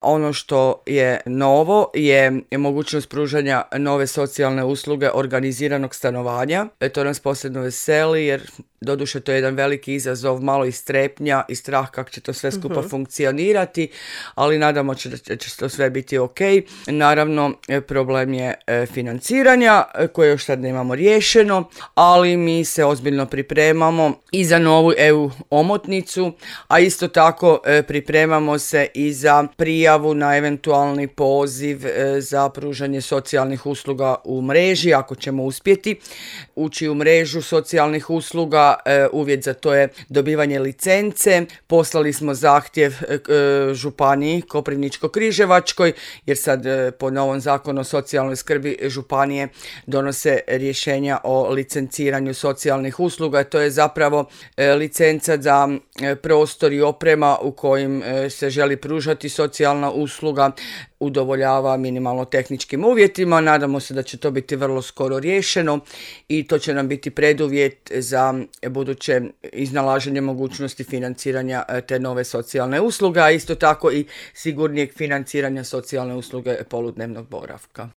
Ono što je novo je mogućnost pružanja nove socijalne usluge organiziranog stanovanja. To nas posebno veseli jer doduše to je jedan veliki izazov, malo i strepnja i strah kako će to sve skupa funkcionirati, ali nadamo se da će to sve biti ok. Naravno, problem je financiranja koje još sad nemamo riješeno, ali mi se ozbiljno pripremamo i za novu EU omotnicu, a isto tako pripremamo se i za prijavu na eventualni poziv za pružanje socijalnih usluga u mreži, ako ćemo uspjeti ući u mrežu socijalnih usluga. Uvjet za to je dobivanje licence. Poslali smo zahtjev županiji Koprivničko-križevačkoj, jer sad po novom zakonu o socijalnoj skrbi županije donose rješenja o licenciranju socijalnih usluga. To je zapravo licenca za prostor i oprema u kojim se želi pružati socijalna usluga, udovoljava minimalno tehničkim uvjetima. Nadamo se da će to biti vrlo skoro riješeno i to će nam biti preduvjet za buduće iznalaženje mogućnosti financiranja te nove socijalne usluge, a isto tako i sigurnijeg financiranja socijalne usluge poludnevnog boravka.